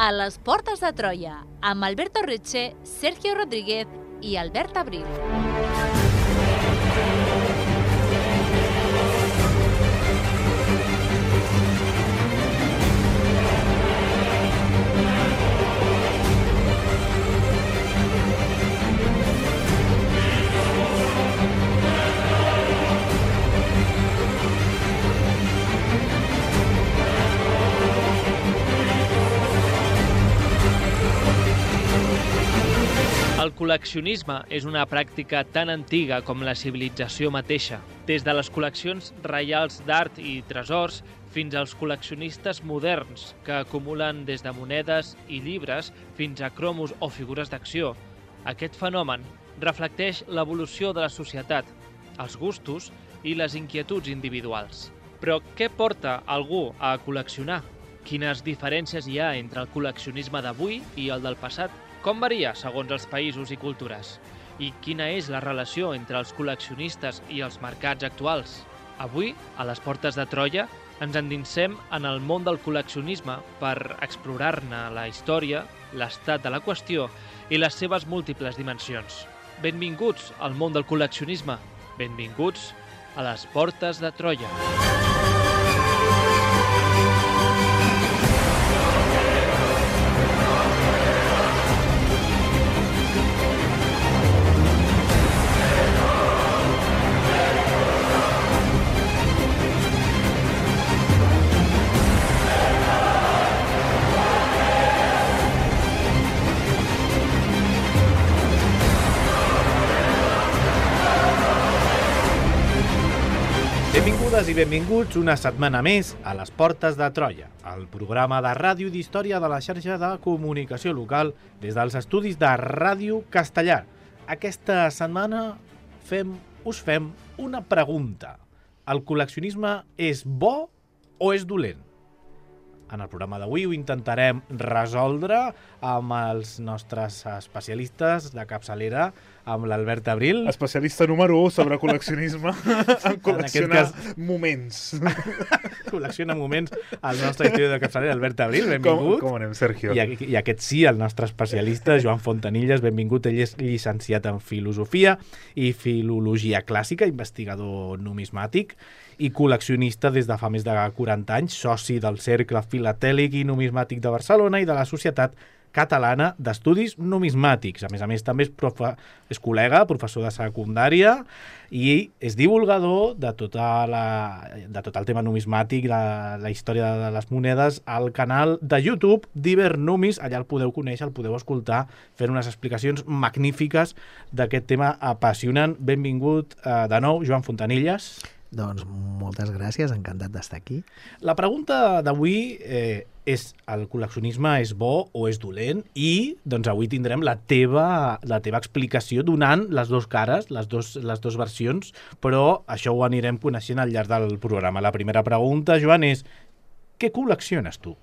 a les Portes de Troia, amb Alberto Reche, Sergio Rodríguez i Albert Abril. El col·leccionisme és una pràctica tan antiga com la civilització mateixa. Des de les col·leccions reials d'art i tresors fins als col·leccionistes moderns que acumulen des de monedes i llibres fins a cromos o figures d'acció. Aquest fenomen reflecteix l'evolució de la societat, els gustos i les inquietuds individuals. Però què porta algú a col·leccionar? Quines diferències hi ha entre el col·leccionisme d'avui i el del passat? Com varia segons els països i cultures? I quina és la relació entre els col·leccionistes i els mercats actuals? Avui, a les Portes de Troia, ens endinsem en el món del col·leccionisme per explorar-ne la història, l'estat de la qüestió i les seves múltiples dimensions. Benvinguts al món del col·leccionisme. Benvinguts a les Portes de Troia. Benvingudes i benvinguts una setmana més a les Portes de Troia, el programa de ràdio i d'història de la xarxa de comunicació local des dels estudis de Ràdio Castellar. Aquesta setmana us fem una pregunta. El col·leccionisme és bo o és dolent? En el programa d'avui ho intentarem resoldre amb els nostres especialistes de capçalera, amb l'Albert Abril. Especialista número 1 sobre col·leccionisme, en col·leccionar moments. Col·lecciona moments el nostre historiador de capçalera, Albert Abril, benvingut. Com anem, Sergio? I aquest sí, el nostre especialista, Joan Fontanilles, benvingut. Ell és llicenciat en Filosofia i Filologia Clàssica, investigador numismàtic i col·leccionista des de fa més de 40 anys, soci del Cercle Filatèlic i Numismàtic de Barcelona i de la Societat Catalana d'Estudis Numismàtics. A més, també és col·lega, professor de secundària i és divulgador de tot el tema numismàtic, la història de les monedes, al canal de YouTube d'Ibernumis. Allà el podeu conèixer, el podeu escoltar, fent unes explicacions magnífiques d'aquest tema apassionant. Benvingut de nou, Joan Fontanilles. Doncs moltes gràcies, encantat d'estar aquí. La pregunta d'avui és: el col·leccionisme és bo o és dolent? I doncs avui tindrem la teva explicació donant les dues cares, les dues versions, però això ho anirem coneixent al llarg del programa. La primera pregunta, Joan, és: què col·lecciones tu?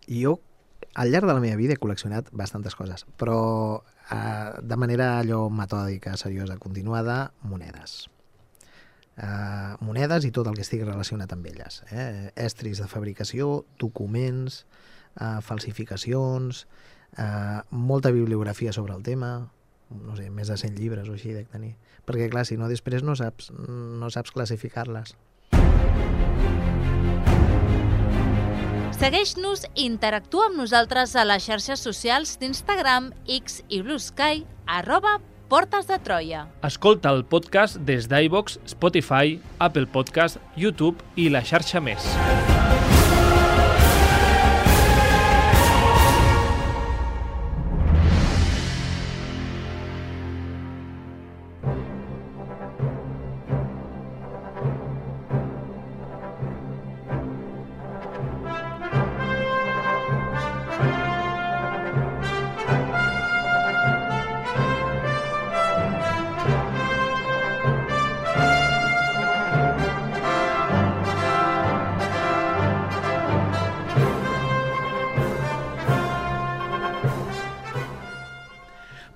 Jo, al llarg de la meva vida, he col·leccionat bastantes coses, però de manera allò metòdica, seriosa, continuada, monedes. Monedes i tot el que estigui relacionat amb elles. Estris de fabricació, documents, falsificacions, molta bibliografia sobre el tema, no sé, més de 100 llibres o així dec tenir. Perquè, clar, si no, després no saps classificar-les. Segueix-nos i interactua amb nosaltres a les xarxes socials d'Instagram, X i Blue Sky, @Portes de Troia. Escolta el podcast des d'iVoox, Spotify, Apple Podcast, YouTube i la xarxa més.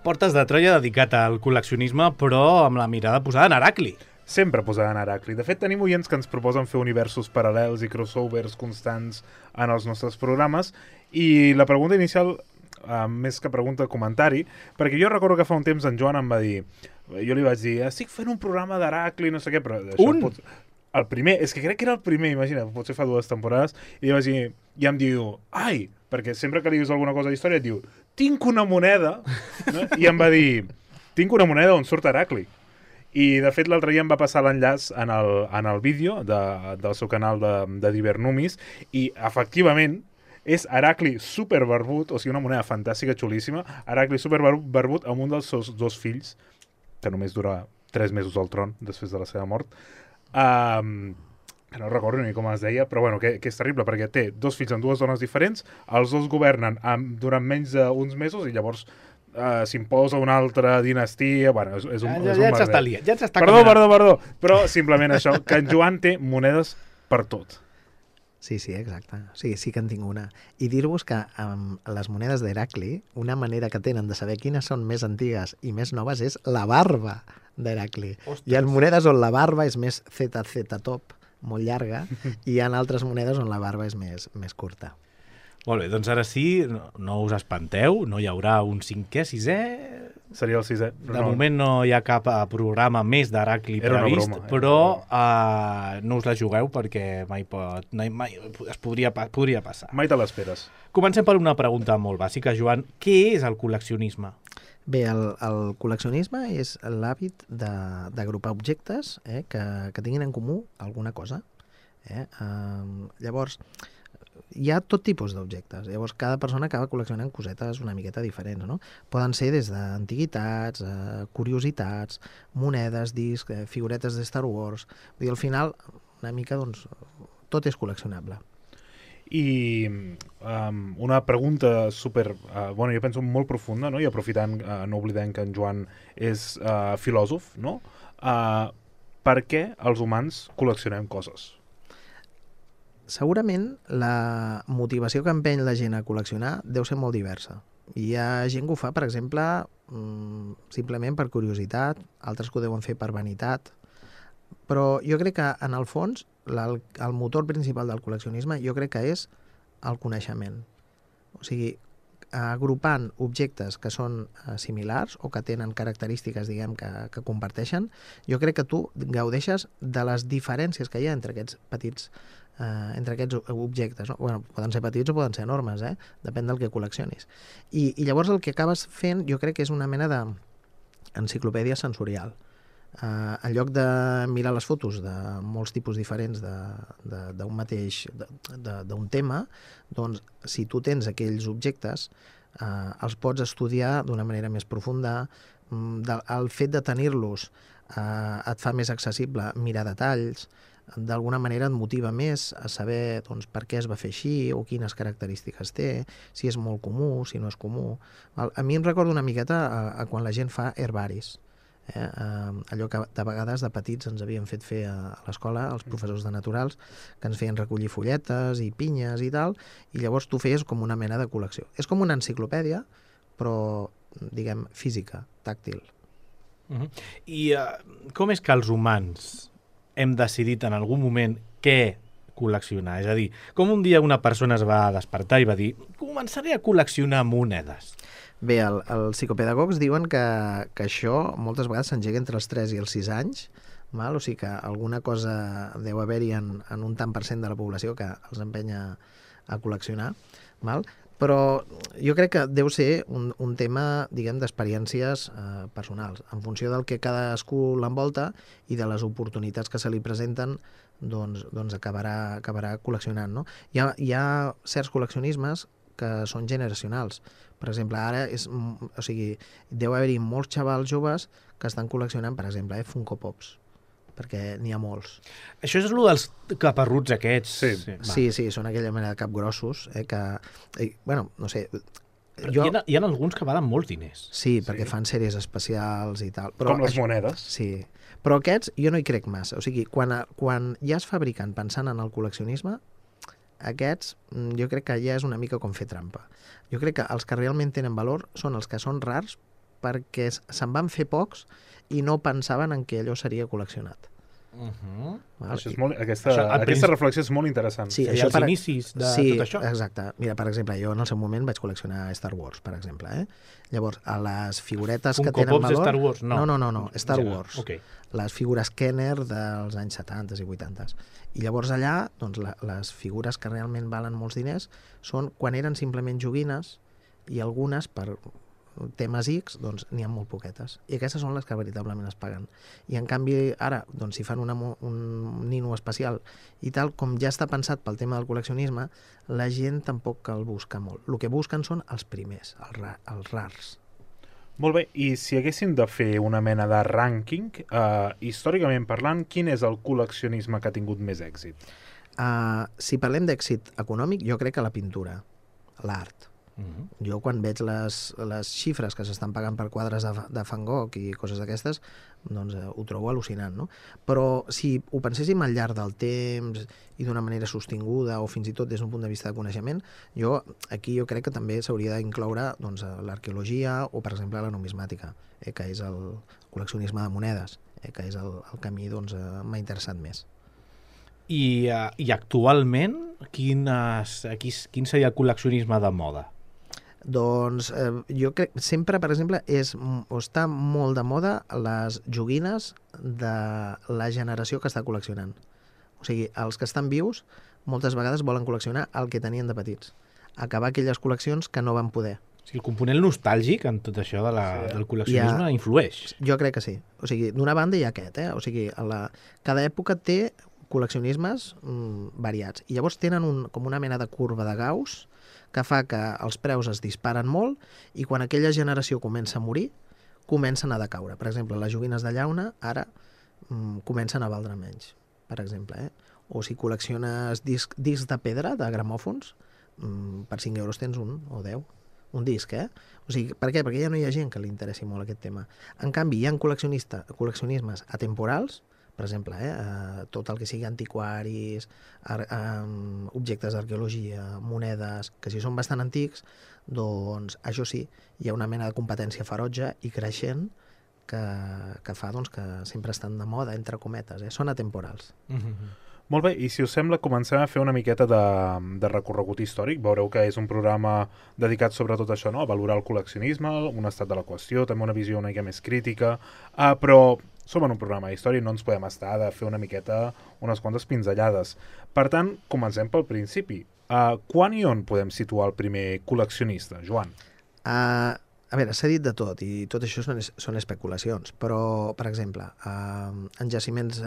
Portes de Troia dedicat al col·leccionisme, però amb la mirada posada en Heracli. sempre posaran Heracli. De fet, tenim oients que ens proposen fer universos paral·lels i crossovers constants en els nostres programes, i la pregunta inicial, més que pregunta, comentari, perquè jo recordo que fa un temps en Joan em va dir, jo li vaig dir, estic fent un programa d'Heracli, no sé què, però això el primer, és que crec que era el primer, imagina, potser fa 2 temporades, i li vaig dir, i em diu, ai, perquè sempre que li dius alguna cosa d'història et diu, tinc una moneda, no? I em va dir, tinc una moneda on surt Heracli. I, de fet, l'altre dia em va passar l'enllaç en el vídeo del seu canal de Divernumis, i, efectivament, és Heracli superbarbut, o sigui, una moneda fantàstica, xulíssima, Heracli superbarbut amb un dels seus 2 fills, que només dura 3 mesos al tron, després de la seva mort, que no recordo ni com es deia, però bueno, que és terrible, perquè té 2 fills amb 2 dones diferents, els 2 governen durant menys d'uns mesos, i llavors s'imposa una altra dinastia, bueno, és un merder. Ja s'està Perdó, però simplement això, que en Joan té monedes per tot. Sí, exacte. Sí que en tinc una. I dir-vos que amb les monedes d'Heracli, una manera que tenen de saber quines són més antigues i més noves és la barba d'Heracli. Hi ha monedes on la barba és més ZZ top, molt llarga, i hi ha altres monedes on la barba és més curta. Molt bé, doncs ara sí, no us espanteu, no hi haurà un 5è, 6è... Seria el 6è. De moment no hi ha cap programa més d'Heracli previst, però no us la jugueu perquè mai es podria passar. Mai te l'esperes. Comencem per una pregunta molt bàsica, Joan. Què és el col·leccionisme? Bé, el col·leccionisme és l'hàbit d'agrupar objectes que tinguin en comú alguna cosa. Llavors, hi ha tot tipus d'objectes. Llavors, cada persona acaba col·leccionant cosetes una miqueta diferents, no? Poden ser des d'antiguitats, curiositats, monedes, discs, figuretes de Star Wars. Vull dir, al final, una mica, doncs, tot és col·leccionable. I una pregunta super, jo penso molt profunda, no? I aprofitant, no oblidem que en Joan és filòsof, no? Per què els humans col·leccionem coses? Segurament la motivació que empeny la gent a col·leccionar deu ser molt diversa. Hi ha gent que ho fa, per exemple, simplement per curiositat, altres que ho deuen fer per vanitat, però jo crec que, en el fons, el motor principal del col·leccionisme jo crec que és el coneixement. O sigui, agrupant objectes que són similars o que tenen característiques, diguem, que comparteixen, jo crec que tu gaudeixes de les diferències que hi ha entre aquests petits objectes, no? Bueno, poden ser petits o poden ser enormes, depèn del que col·leccionis. I llavors el que acabes fent jo crec que és una mena d'enciclopèdia sensorial. En lloc de mirar les fotos de molts tipus diferents d'un mateix d'un tema, doncs si tu tens aquells objectes els pots estudiar d'una manera més profunda. El fet de tenir-los et fa més accessible mirar detalls, d'alguna manera et motiva més a saber per què es va fer així o quines característiques té, si és molt comú, si no és comú. A mi em recorda una miqueta a quan la gent fa herbaris. Allò que de vegades de petits ens havien fet fer a l'escola, els professors de naturals, que ens feien recollir folletes i pinyes i tal, i llavors tu feies com una mena de col·lecció. És com una enciclopèdia, però, diguem, física, tàctil. I com és que els humans hem decidit en algun moment què col·leccionar? És a dir, com un dia una persona es va despertar i va dir començaré a col·leccionar monedes? Bé, els psicopedagogs diuen que això moltes vegades s'engega entre els 3 i els 6 anys, o sigui que alguna cosa deu haver-hi en un tant per cent de la població que els empenya a col·leccionar, però jo crec que deu ser un tema, diguem, d'experiències personals. En funció del que cadascú l'envolta i de les oportunitats que se li presenten, doncs acabarà col·leccionant, no? Hi ha certs col·leccionismes que són generacionals. Per exemple, ara deu haver-hi molts xavals joves que estan col·leccionant, per exemple, Funko Pops, perquè n'hi ha molts. Això és el dels caparruts aquests. Sí, són aquella mena de capgrossos, no sé... Hi ha alguns que valen molts diners. Sí, perquè fan sèries especials i tal. Com les monedes. Sí, però aquests jo no hi crec massa. O sigui, quan ja es fabriquen pensant en el col·leccionisme, aquests jo crec que ja és una mica com fer trampa. Jo crec que els que realment tenen valor són els que són rars perquè se'n van fer pocs i no pensaven en que allò seria col·leccionat. Val? Això és aquesta reflexió és molt interessant. Sí, Els inicis de tot això. Exacte. Mira, per exemple, jo en el seu moment vaig col·leccionar Star Wars, per exemple. Llavors, a les figuretes que tenen valor... Star Wars? No, Star Wars. Okay. Les figures Kenner dels anys 70 i 80. I llavors allà, doncs, les figures que realment valen molts diners són quan eren simplement joguines i algunes per temes X, doncs n'hi ha molt poquetes. I aquestes són les que veritablement es paguen. I en canvi, ara, doncs, si fan un nino especial i tal, com ja està pensat pel tema del col·leccionisme, la gent tampoc el busca molt. El que busquen són els primers, els rars. Molt bé, i si haguéssim de fer una mena de rànquing, històricament parlant, quin és el col·leccionisme que ha tingut més èxit? Si parlem d'èxit econòmic, jo crec que la pintura, l'art. Jo quan veig les xifres que s'estan pagant per quadres de Van Gogh i coses d'aquestes, doncs ho trobo al·lucinant, no? Però si ho penséssim al llarg del temps i d'una manera sostinguda o fins i tot des d'un punt de vista de coneixement, jo crec que també s'hauria d'incloure doncs, l'arqueologia o, per exemple, la numismàtica, que és el col·leccionisme de monedes, que és el camí doncs, m'ha interessat més. I actualment, quin seria el col·leccionisme de moda? Doncs jo crec, sempre, per exemple, està molt de moda les joguines de la generació que està col·leccionant. O sigui, els que estan vius moltes vegades volen col·leccionar el que tenien de petits. Acabar aquelles col·leccions que no van poder. O sigui, el component nostàlgic en tot això del col·leccionisme influeix. Jo crec que sí. O sigui, d'una banda hi ha aquest, O sigui, cada època té col·leccionismes variats. I llavors tenen com una mena de curva de Gauss que fa que els preus es disparen molt i quan aquella generació comença a morir, comencen a decaure. Per exemple, les joguines de llauna ara comencen a valdre menys, per exemple. O si col·lecciones discs de pedra, de gramòfons, per 5 euros tens un o 10. Un disc, O sigui, per què? Perquè ja no hi ha gent que li interessi molt aquest tema. En canvi, hi ha col·leccionismes atemporals, per exemple, tot el que sigui antiquaris, objectes d'arqueologia, monedes, que si són bastant antics, doncs això sí, hi ha una mena de competència ferotge i creixent que fa doncs, que sempre estan de moda, entre cometes, són atemporals. Molt bé, i si us sembla, comencem a fer una miqueta de recorregut històric. Veureu que és un programa dedicat sobretot a això, no? A valorar el col·leccionisme, un estat de la qüestió, també una visió una mica més crítica, però som en un programa d'història i no ens podem estar de fer una miqueta, unes quantes pinzellades. Per tant, comencem pel principi. Quan i on podem situar el primer col·leccionista, Joan? A veure, s'ha dit de tot, i tot això són especulacions, però, per exemple, en jaciments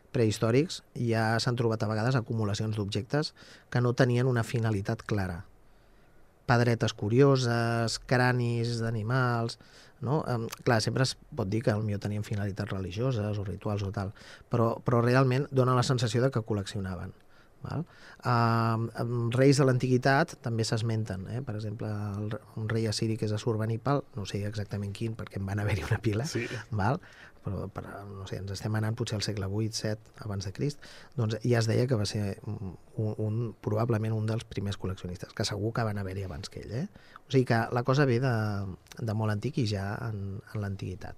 prehistòrics ja s'han trobat a vegades acumulacions d'objectes que no tenien una finalitat clara. Pedretes curioses, cranis d'animals, no? Clar, sempre es pot dir que potser tenien finalitats religioses o rituals o tal, però realment dona la sensació de que col·leccionaven. Val? Reis de l'antiguitat també s'esmenten, per exemple un rei assiri que és Assurbanipal, no sé exactament quin perquè en van haver-hi una pila, sí. Val? Però no sé, ens estem anant potser al segle 8-7 abans de Crist, doncs ja es deia que va ser probablement un dels primers col·leccionistes, que segur que van haver-hi abans que ell. O sigui que la cosa ve de molt antic i ja en l'antiguitat.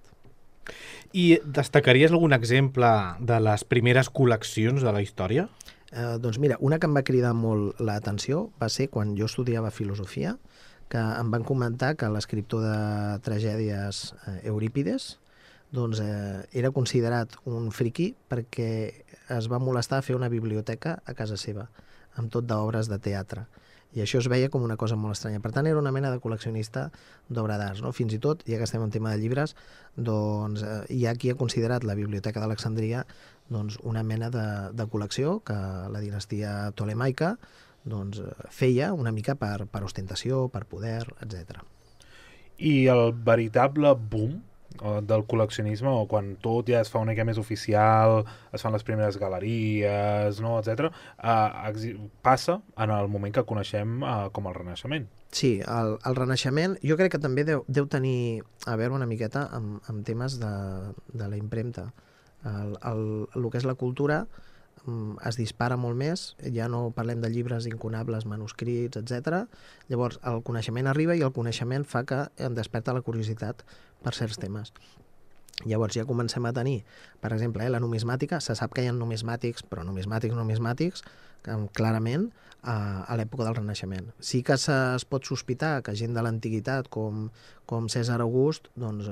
I destacaries algun exemple de les primeres col·leccions de la història? Doncs mira, una que em va cridar molt l'atenció va ser quan jo estudiava filosofia, que em van comentar que l'escriptor de tragèdies Eurípides doncs, era considerat un friqui perquè es va molestar a fer una biblioteca a casa seva, amb tot d'obres de teatre. I això es veia com una cosa molt estranya. Per tant, era una mena de col·leccionista d'obra d'art, no? Fins i tot, ja que estem en tema de llibres, doncs, hi ha qui ha considerat la Biblioteca d'Alexandria doncs, una mena de col·lecció que la dinastia ptolemaica doncs, feia una mica per ostentació, per poder, etc. I el veritable boom del col·leccionisme, o quan tot ja es fa una mica més oficial, es fan les primeres galeries, no, etc., passa en el moment que coneixem com el Renaixement. Sí, el Renaixement jo crec que també deu tenir a veure una miqueta amb temes de la impremta. El que és la cultura es dispara molt més, ja no parlem de llibres incunables, manuscrits, etc. Llavors el coneixement arriba i el coneixement fa que em desperta la curiositat per certs temes. Llavors ja comencem a tenir, per exemple, la numismàtica, se sap que hi ha numismàtics, però numismàtics, clarament, a l'època del Renaixement. Sí que es pot sospitar que gent de l'antiguitat, com Cèsar August, doncs,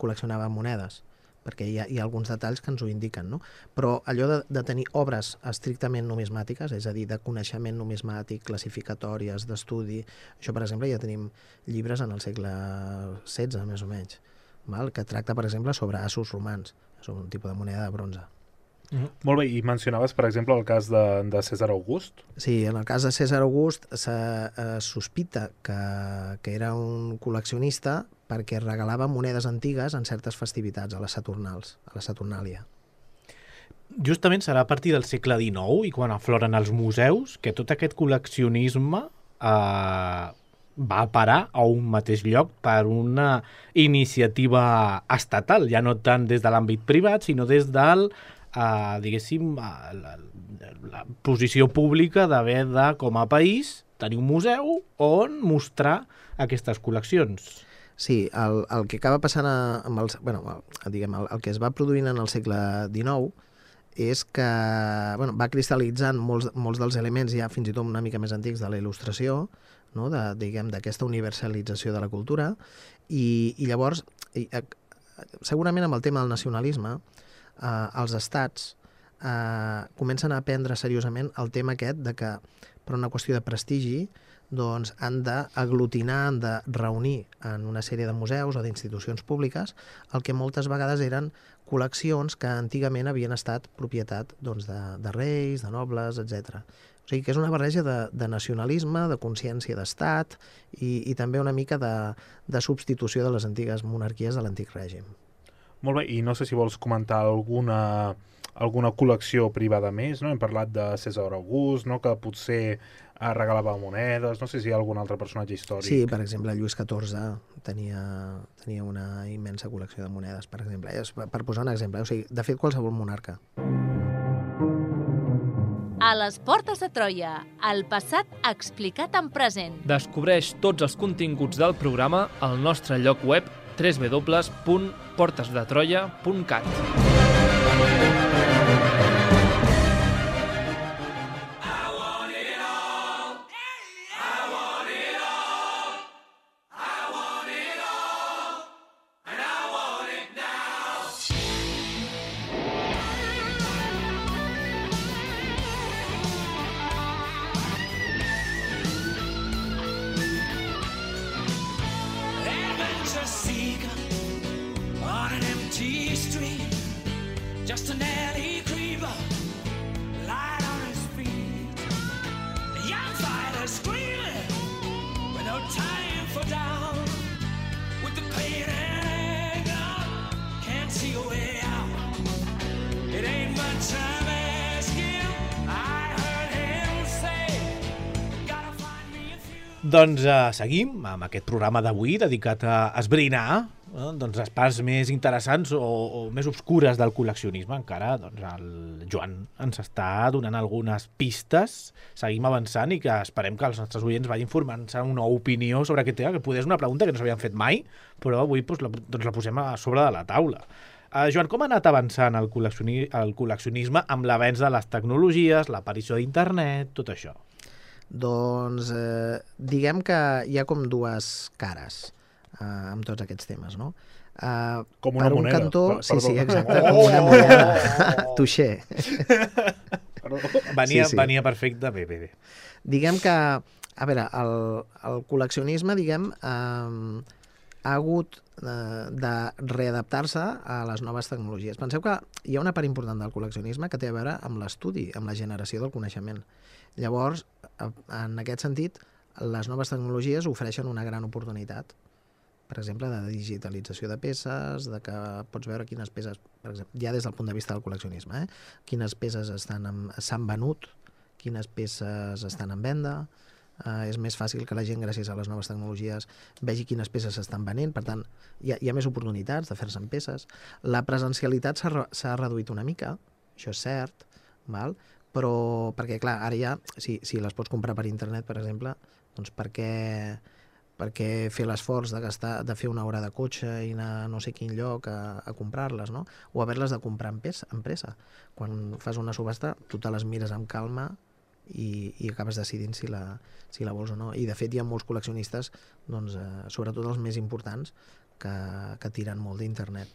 col·leccionava monedes, perquè hi ha alguns detalls que ens ho indiquen, no? Però allò de tenir obres estrictament numismàtiques, és a dir, de coneixement numismàtic, classificatòries, d'estudi, això, per exemple, ja tenim llibres en el segle XVI, més o menys, que tracta, per exemple, sobre assos romans, sobre un tipus de moneda de bronze. Molt bé, i mencionaves, per exemple, el cas de Cèsar August? Sí, en el cas de Cèsar August se sospita que era un col·leccionista perquè regalava monedes antigues en certes festivitats, a les Saturnals, a la Saturnàlia. Justament serà a partir del segle XIX i quan afloren els museus que tot aquest col·leccionisme va parar a un mateix lloc per una iniciativa estatal, ja no tant des de l'àmbit privat, sinó des del diguéssim, la posició pública d'haver de, com a país, tenir un museu on mostrar aquestes col·leccions. Sí, el que acaba passant amb el que es va produint en el segle XIX és que va cristal·litzant molts dels elements ja fins i tot una mica més antics de la il·lustració, no? D'aquesta universalització de la cultura, i llavors, segurament amb el tema del nacionalisme, els estats comencen a prendre seriosament el tema aquest de que, per una qüestió de prestigi, doncs han d'aglutinar, han de reunir en una sèrie de museus o d'institucions públiques el que moltes vegades eren col·leccions que antigament havien estat propietat de reis, de nobles, etc. O sigui que és una barreja de nacionalisme, de consciència d'estat i també una mica de substitució de les antigues monarquies de l'antic règim. Molt bé, i no sé si vols comentar alguna col·lecció privada més, no? Hem parlat de Cèsar August, no? Que potser regalava monedes, no sé si hi ha algun altre personatge històric. Sí, per exemple, Lluís XIV tenia una immensa col·lecció de monedes, per exemple. Per posar un exemple, o sigui, de fet, qualsevol monarca. A les portes de Troia, el passat explicat en present. Descobreix tots els continguts del programa al nostre lloc web www.portesdetroia.cat. Just an alley creeper, light on his feet. The young fighter screaming, with no time for down. With the pain and anger, can't see a way out. It ain't much I'm asking, I heard him say, gotta find me a few. Doncs seguim amb aquest programa d'avui dedicat a esbrinar doncs les parts més interessants o més obscures del col·leccionisme. Encara doncs, el Joan ens està donant algunes pistes, seguim avançant i que esperem que els nostres oients vagin formant-se una opinió sobre aquest tema, que poder és una pregunta que no s'havien fet mai, però avui doncs, la posem a sobre de la taula. Joan, com ha anat avançant el col·leccionisme amb l'avenç de les tecnologies, l'aparició d'internet, tot això? Doncs diguem que hi ha com dues cares amb tots aquests temes, no? Com una moneda. Cantó, sí, exacte, com una moneda. Touché. Venia perfecte, bé. Diguem que, a veure, el col·leccionisme, ha hagut de readaptar-se a les noves tecnologies. Penseu que hi ha una part important del col·leccionisme que té a veure amb l'estudi, amb la generació del coneixement. Llavors, en aquest sentit, les noves tecnologies ofereixen una gran oportunitat, per exemple, de digitalització de peces, de que pots veure quines peces, per exemple, ja des del punt de vista del col·leccionisme, quines peces s'han venut, quines peces estan en venda. És més fàcil que la gent, gràcies a les noves tecnologies, vegi quines peces s'estan venent. Per tant, hi ha més oportunitats de fer-se en peces. La presencialitat s'ha reduït una mica, això és cert, però perquè, clar, ara ja, si les pots comprar per internet, per exemple, doncs per què perquè fer l'esforç de fer una hora de cotxe i anar a no sé quin lloc a comprar-les, no? O haver-les de comprar en pressa. Quan fas una subhasta, tu te les mires amb calma i acabes decidint si la vols o no. I de fet hi ha molts col·leccionistes, doncs, sobretot els més importants, que tiren molt d'internet.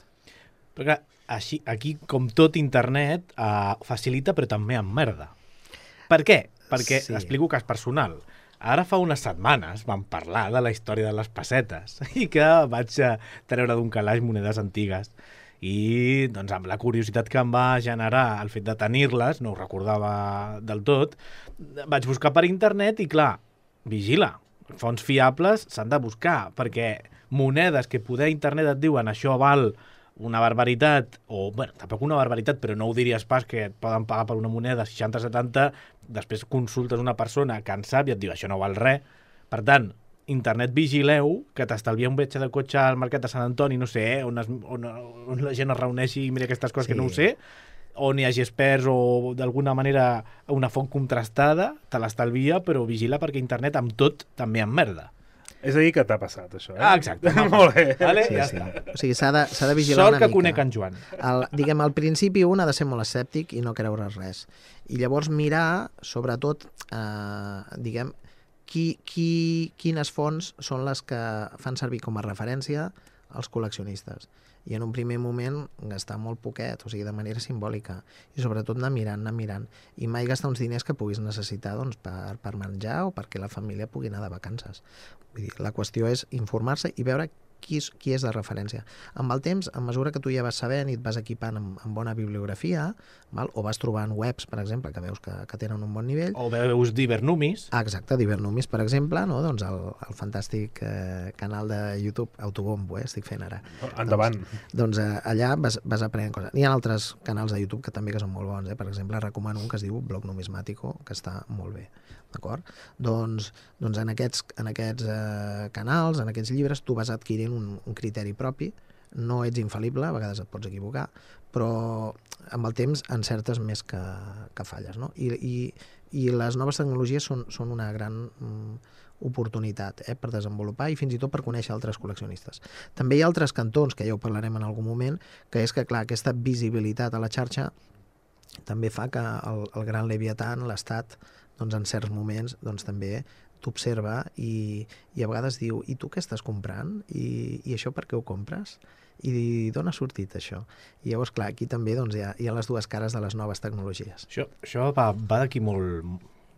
Perquè aquí, com tot internet, facilita però també emmerda. Per què? Perquè, explico cas personal, ara fa unes setmanes vam parlar de la història de les pessetes i que vaig treure d'un calaix monedes antigues. I doncs, amb la curiositat que em va generar el fet de tenir-les, no ho recordava del tot, vaig buscar per internet i, clar, vigila, fonts fiables s'han de buscar, perquè monedes que poder internet et diuen això val una barbaritat, o, bueno, tampoc una barbaritat, però no ho diries pas que et poden pagar per una moneda 60-70, després consultes una persona que en sap i et diu això no val res. Per tant, internet vigileu, que t'estalvia un viatge de cotxe al mercat de Sant Antoni, no sé, on la gent es reuneixi i mira aquestes coses que no ho sé, on hi hagi experts o d'alguna manera una font contrastada, te l'estalvia, però vigila perquè internet amb tot també emmerda. És a dir que t'ha passat, això, Exacte. Molt bé. Vale? Sí, Ja sí. està. O sigui, s'ha de vigilar Sort una que mica. conec en Joan. Diguem, al principi un ha de ser molt escèptic i no creure res. I llavors mirar, sobretot, diguem, quines fonts són les que fan servir com a referència els col·leccionistes. I en un primer moment gastar molt poquet, o sigui, de manera simbòlica. I sobretot anar mirant. I mai gastar uns diners que puguis necessitar doncs, per menjar o perquè la família pugui anar de vacances. Vull dir, la qüestió és informar-se i veure qui és de referència. Amb el temps, a mesura que tu ja vas sabent i et vas equipant amb bona bibliografia, val? O vas trobant webs, per exemple, que veus que tenen un bon nivell. O veus d'Ibernumis. Exacte, d'Ibernumis, per exemple, no? Doncs el fantàstic canal de YouTube Autobombo, estic fent ara. Endavant. Doncs allà vas aprenent coses. Hi ha altres canals de YouTube que també que són molt bons. Per exemple, recomano un que es diu Blog Numismático, que està molt bé. D'acord? Doncs en aquests canals, en aquests llibres, tu vas adquirint un criteri propi, no ets infal·lible, a vegades et pots equivocar, però amb el temps encertes més que falles, no? I les noves tecnologies són una gran oportunitat per desenvolupar i fins i tot per conèixer altres col·leccionistes. També hi ha altres cantons, que ja ho parlarem en algun moment, que és que, clar, aquesta visibilitat a la xarxa també fa que el gran Leviatan, l'Estat, doncs en certs moments doncs també t'observa i a vegades diu, i tu què estàs comprant? I això per què ho compres? I d'on ha sortit això? I llavors, clar, aquí també doncs, hi ha les dues cares de les noves tecnologies. Això va d'aquí molt...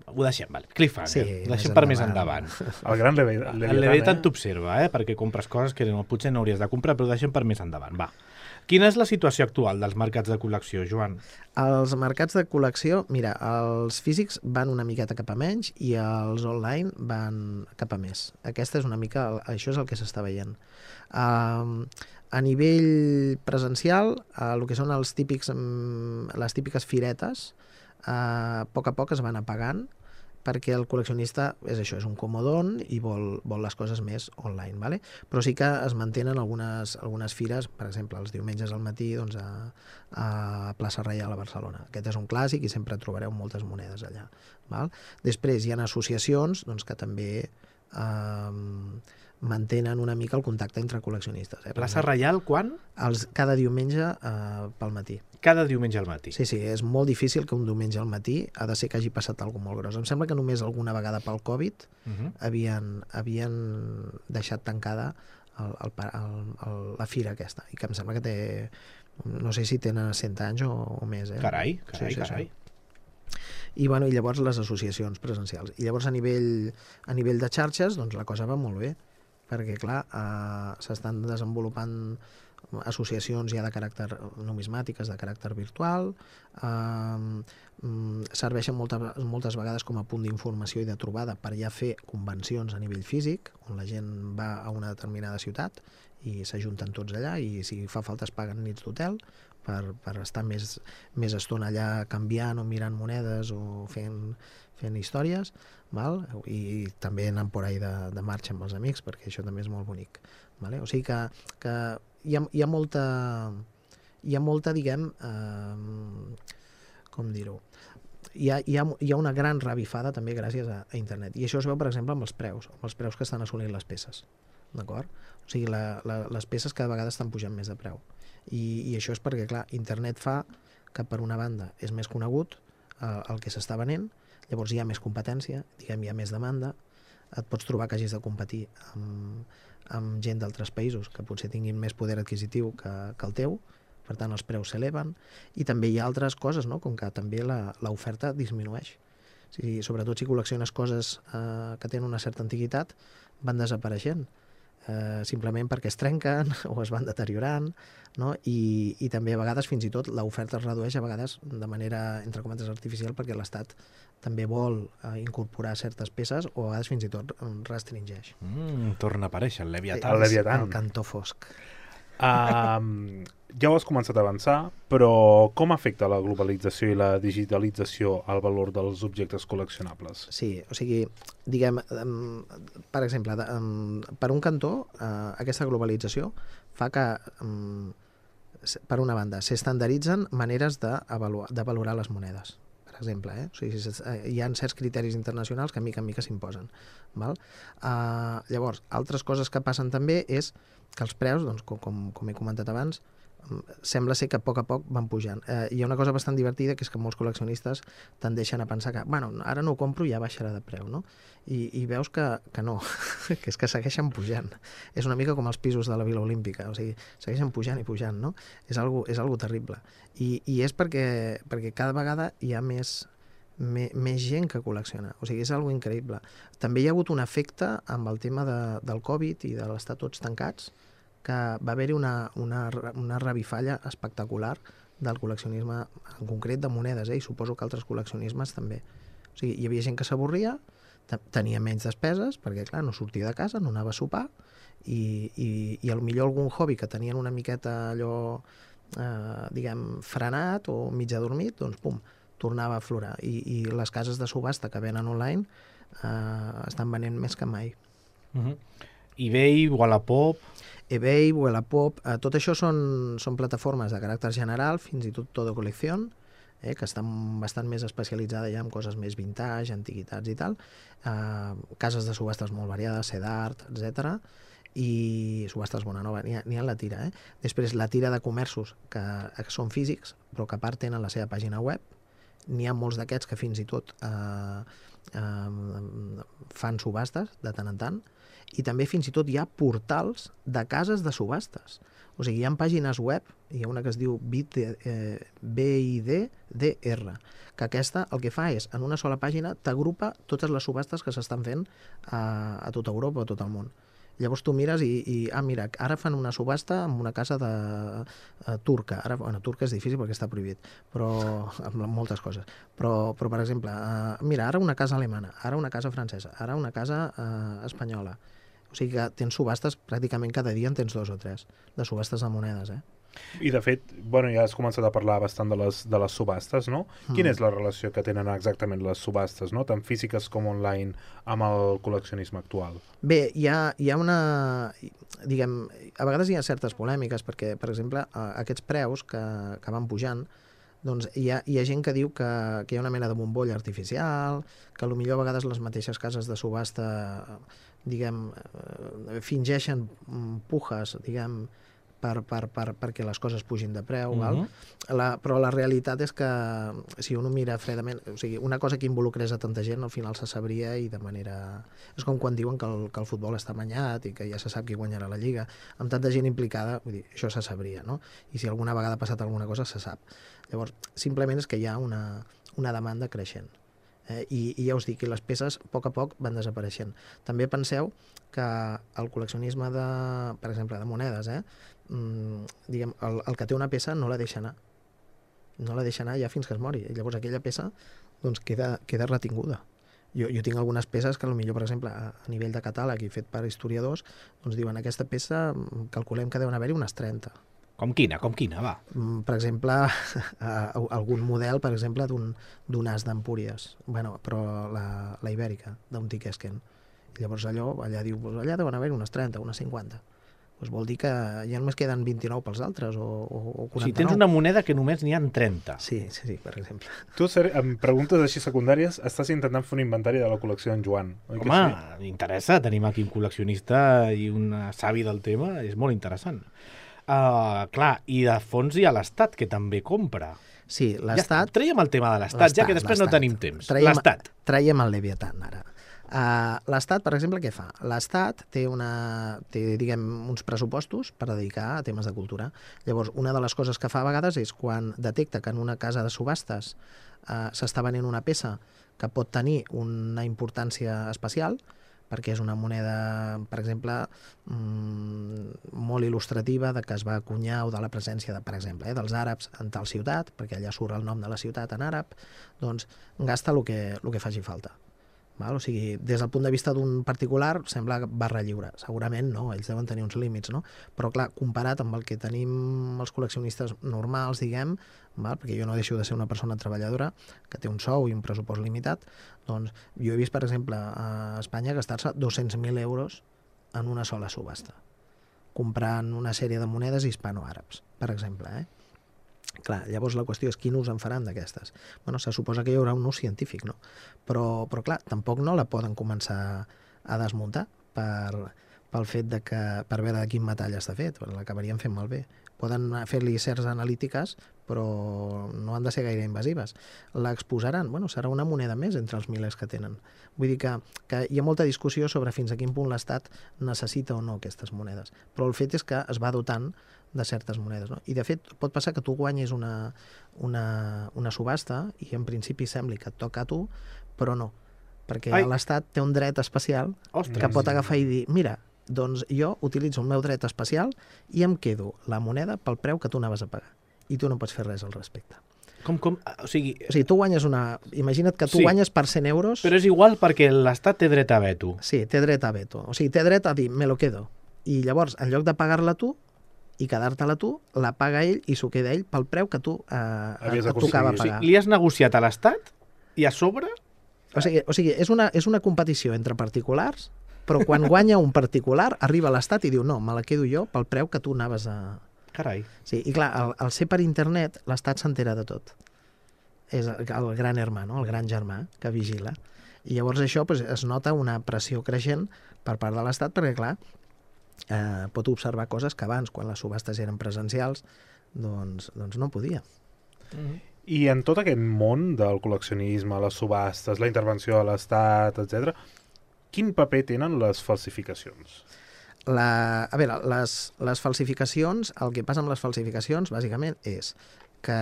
Ho deixem, vale. Cliffhanger. Sí, ho deixem per més endavant. El gran Leviatan. El Leviatan t'observa, perquè compres coses que potser no hauries de comprar, però ho deixem per més endavant. Va. Quina és la situació actual dels mercats de col·lecció, Joan? Els mercats de col·lecció, mira, els físics van una miqueta cap a menys i els online van cap a més. Aquesta és una mica, això és el que s'està veient. A nivell presencial, el que són les típiques firetes, a poc es van apagant, perquè el col·leccionista és això, és un comodón i vol les coses més online, ¿vale? Però sí que es mantenen algunes fires, per exemple, els diumenges al matí doncs, a Plaça Reial a Barcelona. Aquest és un clàssic i sempre trobareu moltes monedes allà. Val? Després hi ha associacions doncs, que també mantenen una mica el contacte entre col·leccionistes. Plaça Reial, quan? Cada diumenge pel matí. Cada diumenge al matí. Sí, és molt difícil que un diumenge al matí ha de ser que hagi passat alguna cosa molt gros. Em sembla que només alguna vegada pel Covid havien deixat tancada la fira aquesta, i que em sembla que té, no sé si tenen 100 anys o més. Carai. I llavors les associacions presencials. I llavors a nivell de xarxes doncs la cosa va molt bé, perquè clar, s'estan desenvolupant associacions ja de caràcter numismàtiques, de caràcter virtual, serveixen moltes vegades com a punt d'informació i de trobada per ja fer convencions a nivell físic, on la gent va a una determinada ciutat i s'ajunten tots allà, i si fa falta es paguen nits d'hotel per estar més estona allà canviant o mirant monedes o fent històries, val? I també anant por ahí de marxa amb els amics, perquè això també és molt bonic. Vale? O sigui que hi ha molta, diguem, com dir-ho, hi ha una gran revifada també gràcies a internet. I això es veu, per exemple, amb els preus que estan assolint les peces. D'acord? O sigui, les peces cada vegada estan pujant més de preu. I això és perquè, clar, internet fa que per una banda és més conegut el que s'està venent, llavors hi ha més competència, diguem, hi ha més demanda, et pots trobar que hagis de competir amb gent d'altres països que potser tinguin més poder adquisitiu que el teu, per tant els preus s'eleven, i també hi ha altres coses, no? Com que també l'oferta disminueix. O sigui, sobretot si col·lecciones coses que tenen una certa antiguitat, van desapareixent, simplement perquè es trenquen o es van deteriorant, no? I també a vegades fins i tot l'oferta es redueix a vegades de manera, entre cometes, artificial, perquè l'Estat també vol incorporar certes peces o a vegades fins i tot restringeix. Torna a aparèixer el Leviatán. El Leviatán. El cantó fosc. Ja ho has començat a avançar, però com afecta la globalització i la digitalització al valor dels objectes col·leccionables? Sí, o sigui, diguem, per exemple, per un cantó, aquesta globalització fa que, per una banda, s'estandarditzen maneres de valorar les monedes, per exemple. O sigui, hi ha certs criteris internacionals que mica en mica s'imposen. Llavors, altres coses que passen també és que els preus, doncs, com he comentat abans, sembla ser que a poc van pujant. Hi ha una cosa bastant divertida, que és que molts col·leccionistes tendeixen a pensar que, bueno, ara no ho compro i ja baixarà de preu, no? I veus que no, que és que segueixen pujant. És una mica com els pisos de la Vila Olímpica, o sigui, segueixen pujant i pujant, no? És algo terrible. I és perquè cada vegada hi ha més gent que col·lecciona. O sigui, és algo increïble. També hi ha hagut un efecte amb el tema del Covid i de l'estar tots tancats, que va haver-hi una revifalla espectacular del col·leccionisme, en concret de monedes, i suposo que altres col·leccionismes també. O sigui, hi havia gent que s'avorria, tenia menys despeses, perquè, clar, no sortia de casa, no anava a sopar, i potser algun hobby que tenien una miqueta allò, diguem, frenat o mig adormit, doncs, pum, tornava a aflorar. I les cases de subhasta que venen online estan venent més que mai. eBay, Wallapop... eBay, Wallapop, tot això són plataformes de caràcter general, fins i tot Todo Colección, que estan bastant més especialitzades ja en coses més vintage, antiguitats i tal, cases de subhastes molt variades, Cedart, etc. I subhastes Bonanova, n'hi ha la tira. Després la tira de comerços que són físics, però que a part tenen la seva pàgina web. N'hi ha molts d'aquests que fins i tot fan subhastes de tant en tant, i també fins i tot hi ha portals de cases de subhastes. O sigui, hi ha pàgines web, hi ha una que es diu BIDDR, que aquesta el que fa és, en una sola pàgina, t'agrupa totes les subhastes que s'estan fent a tota Europa o a tot el món. Llavors tu mires i mira, ara fan una subhasta amb una casa turca. Bueno, turca és difícil perquè està prohibit, però amb moltes coses. Però per exemple, mira, ara una casa alemana, ara una casa francesa, ara una casa espanyola. O sigui que tens subhastes, pràcticament cada dia en tens 2 o 3, de subhastes de monedes, I de fet, bueno, ja has començat a parlar bastant de les subhastes, no? Quina és la relació que tenen exactament les subhastes, no? Tant físiques com online, amb el col·leccionisme actual? Bé, hi ha una... Diguem, a vegades hi ha certes polèmiques, perquè, per exemple, aquests preus que van pujant, doncs hi ha gent que diu que hi ha una mena de bombolla artificial, que potser a vegades les mateixes cases de subhasta, diguem, fingeixen pujes, diguem, perquè les coses pugin de preu, però la realitat és que si un ho mira fredament, o sigui, una cosa que involucrés a tanta gent al final se sabria i de manera... És com quan diuen que el futbol està amanyat i que ja se sap qui guanyarà la Lliga. Amb tanta gent implicada, vull dir, això se sabria, no? I si alguna vegada ha passat alguna cosa, se sap. Llavors, simplement és que hi ha una demanda creixent. I ja us dic que les peces a poc van desapareixent. També penseu que el col·leccionisme per exemple, de monedes, diguem, el que té una peça no la deixa anar. No la deixa anar ja fins que es mori. I llavors aquella peça doncs, queda retinguda. Jo tinc algunes peces que potser, per exemple, a nivell de catàleg i fet per historiadors, doncs diuen aquesta peça calculem que deuen haver-hi unes 30. Com quina, va? Per exemple, algun model, per exemple, d'un as d'Empúries, però la ibèrica, d'un Tiquesquen. I llavors allà diu, allà deuen haver unes 30, unes 50. doncs vol dir que ja només queden 29 pels altres, o 49. Si tens una moneda que només n'hi ha 30. Sí, per exemple. Tu, amb preguntes així secundàries, estàs intentant fer un inventari de la col·lecció d'en Joan, oi que Home, sí? m'interessa. Tenim aquí un col·leccionista i un savi del tema. És molt interessant. Clar, i de fons hi ha l'Estat, que també compra. Sí, Ja, l'Estat... traiem el tema de l'Estat, ja que després no tenim temps. L'Estat. Traiem el Leviatan, ara. L'Estat, per exemple, què fa? L'Estat té, diguem, uns pressupostos per dedicar a temes de cultura. Llavors, una de les coses que fa a vegades és quan detecta que en una casa de subhastes s'està venent una peça que pot tenir una importància especial, perquè és una moneda, per exemple, molt il·lustrativa de que es va acunyar o de la presència, per exemple, dels àrabs en tal ciutat, perquè allà surt el nom de la ciutat en àrab, doncs gasta el que faci falta. Val? O sigui, des del punt de vista d'un particular sembla barra lliure. Segurament no, ells deuen tenir uns límits, no? Però clar, comparat amb el que tenim els col·leccionistes normals, diguem, val? Perquè jo no deixo de ser una persona treballadora que té un sou i un pressupost limitat, doncs jo he vist, per exemple, a Espanya gastar-se 200.000 euros en una sola subhasta, comprant una sèrie de monedes hispano-àrabs, per exemple, Clar, llavors la qüestió és quin ús en faran d'aquestes. Bueno, se suposa que hi haurà un ús científic, no? Però clar, tampoc no la poden començar a desmuntar pel fet de que, per veure de quin metall està fet, l'acabarien fent malbé. Poden fer-li certs analítiques, però no han de ser gaire invasives. L'exposaran, bueno, serà una moneda més entre els milers que tenen. Vull dir que hi ha molta discussió sobre fins a quin punt l'Estat necessita o no aquestes monedes, però el fet és que es va dotant de certes monedes, no? I de fet pot passar que tu guanyis una subhasta i en principi sembli que et toca a tu, però no, perquè l'Estat té un dret especial que pot agafar i dir, mira, doncs jo utilitzo el meu dret especial i em quedo la moneda pel preu que tu anaves a pagar i tu no pots fer res al respecte. Com? O sigui, tu guanyes imagina't que tu guanyes per 100 euros... Però és igual perquè l'Estat té dret a veto. Sí, té dret a veto. O sigui, té dret a dir, me lo quedo. I llavors, en lloc de pagar-la tu i quedar-te-la tu, la paga ell i s'ho queda ell pel preu que tu et tocava pagar. O sigui, li has negociat a l'Estat i a sobre... O sigui, és una competició entre particulars, però quan guanya un particular, arriba a l'Estat i diu, no, me la quedo jo pel preu que tu anaves a... Carai. Sí, i clar, al ser per internet, l'Estat s'entera de tot. És el gran hermano, el gran germà que vigila. I llavors això es nota una pressió creixent per part de l'Estat, perquè clar, pot observar coses que abans, quan les subhastes eren presencials, doncs no podia. I en tot aquest món del col·leccionisme, les subhastes, la intervenció de l'Estat, etc., quin paper tenen les falsificacions? A veure, les falsificacions, el que passa amb les falsificacions, bàsicament, és que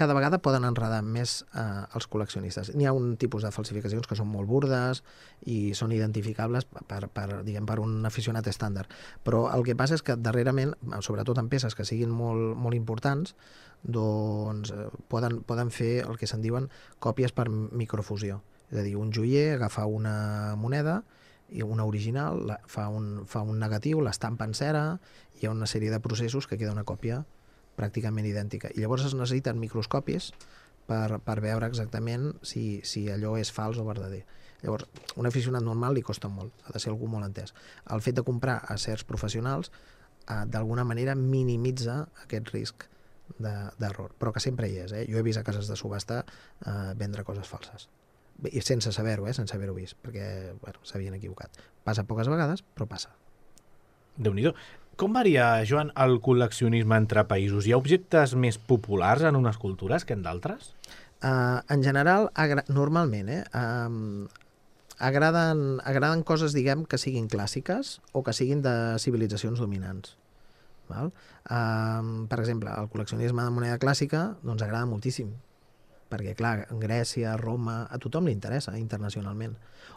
cada vegada poden enredar més els col·leccionistes. N'hi ha un tipus de falsificacions que són molt burdes i són identificables per un aficionat estàndard. Però el que passa és que darrerament, sobretot en peces que siguin molt, molt importants, doncs poden fer el que se'n diuen còpies per microfusió. És a dir, un joier agafa una moneda, una original, fa un negatiu, l'estampa en cera, hi ha una sèrie de processos que queda una còpia pràcticament idèntica. I llavors es necessiten microscopis per veure exactament si allò és fals o verdader. Llavors, un aficionat normal li costa molt, ha de ser algú molt entès. El fet de comprar a certs professionals d'alguna manera minimitza aquest risc d'error, però que sempre hi és. Jo he vist a cases de subhasta vendre coses falses. I sense saber-ho, sense haver-ho vist, perquè s'havien equivocat. Passa poques vegades, però passa. Déu-n'hi-do. Com varia, Joan, el col·leccionisme entre països? Hi ha objectes més populars en unes cultures que en d'altres? En general, normalment, agraden coses, diguem, que siguin clàssiques o que siguin de civilitzacions dominants. Val? Per exemple, el col·leccionisme de moneda clàssica doncs agrada moltíssim, perquè, clar, Grècia, Roma, a tothom li interessa internacionalment.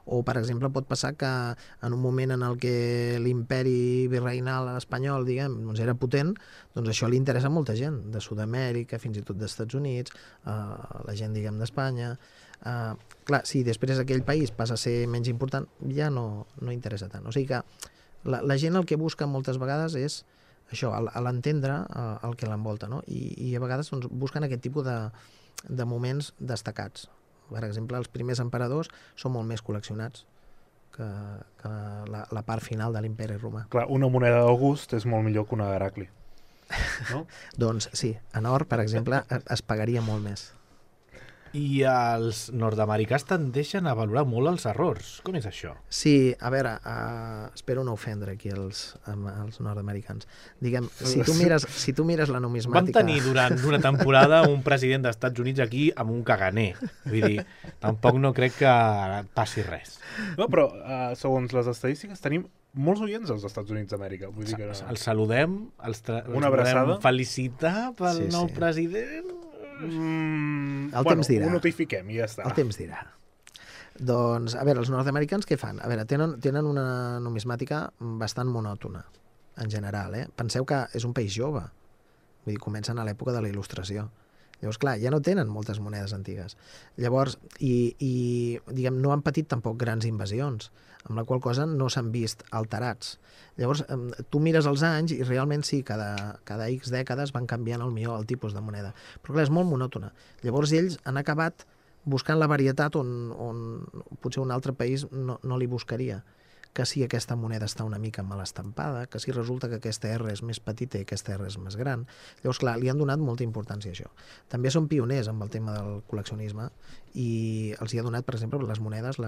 O, per exemple, pot passar que en un moment en el que l'imperi virreinal espanyol, diguem, doncs era potent, doncs això li interessa a molta gent, de Sud-amèrica, fins i tot dels Estats Units, la gent, diguem, d'Espanya. Clar, si després aquell país passa a ser menys important, ja no interessa tant. O sigui que la gent el que busca moltes vegades és això, a l'entendre el que l'envolta, no? I a vegades doncs, busquen aquest tipus de moments destacats. Per exemple, els primers emperadors són molt més col·leccionats que la part final de l'imperi romà. Clar, una moneda d'August és molt millor que una d'Heracli. No? Doncs sí, en or, per exemple, es pagaria molt més. I els nord-americans tendeixen a valorar molt els errors. Com és això? Sí, a veure, espero no ofendre aquí els nord-americans. Diguem, si tu mires la Vam numismàtica... tenir durant una temporada un president dels Estats Units aquí amb un caganer. Vull dir, tampoc no crec que passi res. No, però segons les estadístiques tenim molts oients als Estats Units d'Amèrica. Vull dir que Els saludem, els Una abraçada. volem felicitar pel Sí, nou sí. president. El temps dirà. Ho notifiquem i ja està. El temps dirà. Doncs, a veure, els nord-americans què fan? A veure, tenen una numismàtica bastant monòtona, en general, Penseu que és un país jove. Vull dir, comencen a l'època de la Il·lustració. Llavors, clar, ja no tenen moltes monedes antigues. Llavors, diguem, no han patit tampoc grans invasions, amb la qual cosa no s'han vist alterats. Llavors, tu mires els anys i realment sí, cada X dècades van canviant el tipus de moneda. Però clar, és molt monòtona. Llavors ells han acabat buscant la varietat on potser un altre país no li buscaria. Que si aquesta moneda està una mica mal estampada, que si resulta que aquesta R és més petita i aquesta R és més gran. Llavors, clar, li han donat molta importància a això. També són pioners amb el tema del col·leccionisme i els hi ha donat, per exemple, les monedes,